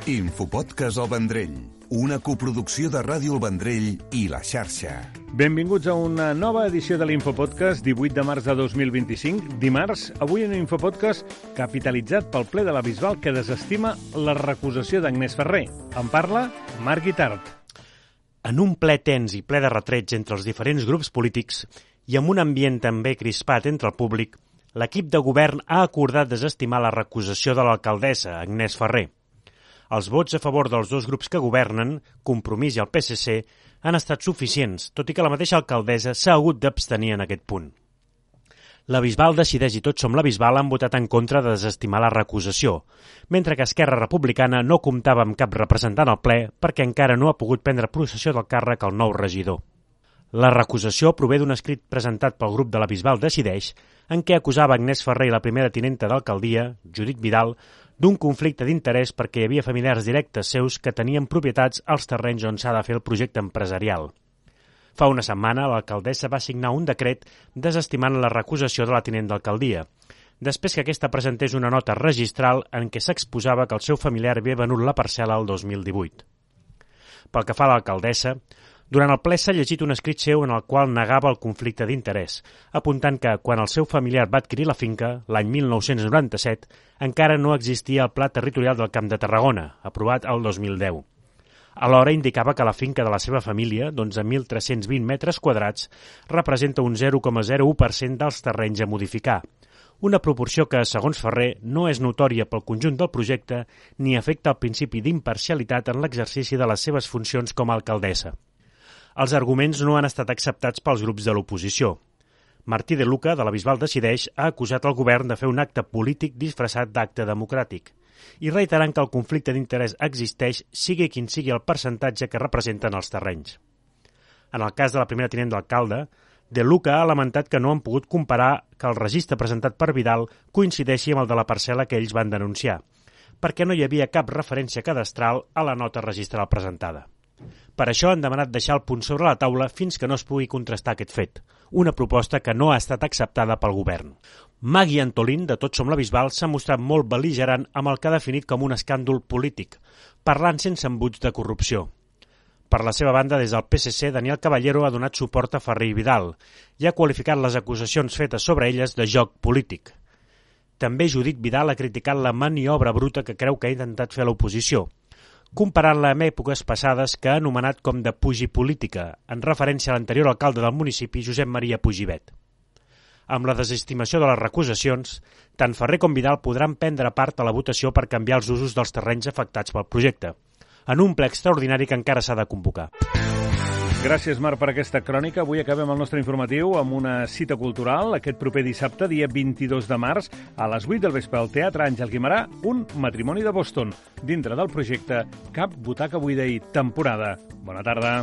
Infopodcast El Vendrell, una coproducció de Ràdio El Vendrell i La Xarxa. Benvinguts a una nova edició de l'Infopodcast, 18 de març de 2025. Dimarts, avui un Infopodcast capitalitzat pel ple de la Bisbal que desestima la recusació d'Agnès Ferrer. En parla Marc Guitart. En un ple tens i ple de retrets entre els diferents grups polítics i amb un ambient també crispat entre el públic, l'equip de govern ha acordat desestimar la recusació de l'alcaldessa, Agnès Ferrer. Els vots a favor dels dos grups que governen, Compromís i el PSC, han estat suficients, tot i que la mateixa alcaldessa s'ha hagut d'abstenir en aquest punt. La Bisbal Decideix i Tots Som la Bisbal han votat en contra de desestimar la recusació, mentre que Esquerra Republicana no comptava amb cap representant al ple perquè encara no ha pogut prendre possessió del càrrec al nou regidor. La recusació prové d'un escrit presentat pel grup de la Bisbal Decideix en què acusava Agnès Ferrer i la primera tinenta d'alcaldia, Judit Vidal, d'un conflicte d'interès perquè hi havia familiars directes seus que tenien propietats als terrenys on s'ha de fer el projecte empresarial. Fa una setmana, l'alcaldessa va signar un decret desestimant la recusació de la tinent d'alcaldia, després que aquesta presentés una nota registral en què s'exposava que el seu familiar havia venut la parcel·la el 2018. Pel que fa a l'alcaldessa, durant el ple s'ha llegit un escrit seu en el qual negava el conflicte d'interès, apuntant que, quan el seu familiar va adquirir la finca, l'any 1997, encara no existia el Pla Territorial del Camp de Tarragona, aprovat el 2010. Alhora indicava que la finca de la seva família, d'11.320 metres quadrats, representa un 0,01% dels terrenys a modificar, una proporció que, segons Ferrer, no és notòria pel conjunt del projecte ni afecta el principi d'imparcialitat en l'exercici de les seves funcions com a alcaldessa. Els arguments no han estat acceptats pels grups de l'oposició. Martí de Luca, de la Bisbal Decideix, ha acusat el govern de fer un acte polític disfressat d'acte democràtic i reiterant que el conflicte d'interès existeix, sigui quin sigui el percentatge que representen els terrenys. En el cas de la primera tinent d'alcalde, de Luca ha lamentat que no han pogut comparar que el registre presentat per Vidal coincideixi amb el de la parcel·la que ells van denunciar, perquè no hi havia cap referència cadastral a la nota registral presentada. Per això han demanat deixar el punt sobre la taula fins que no es pugui contrastar aquest fet, una proposta que no ha estat acceptada pel govern. Magui Antolín, de Tots Som la Bisbal, s'ha mostrat molt bel·ligerant amb el que ha definit com un escàndol polític, parlant sense embuts de corrupció. Per la seva banda, des del PSC, Daniel Caballero ha donat suport a Ferrer i Vidal i ha qualificat les acusacions fetes sobre elles de joc polític. També Judit Vidal ha criticat la maniobra bruta que creu que ha intentat fer l'oposició, comparant-la amb èpoques passades que ha anomenat com de pugi política, en referència a l'anterior alcalde del municipi, Josep Maria Pujibet. Amb la desestimació de les recusacions, tant Ferrer com Vidal podran prendre part a la votació per canviar els usos dels terrenys afectats pel projecte, en un ple extraordinari que encara s'ha de convocar. Gràcies, Marc, per aquesta crònica. Avui acabem el nostre informatiu amb una cita cultural. Aquest proper dissabte, dia 22 de març, a les 8 del vespre, al Teatre Àngel Guimerà, un matrimoni de Boston, dintre del projecte Cap butaca buida i temporada. Bona tarda.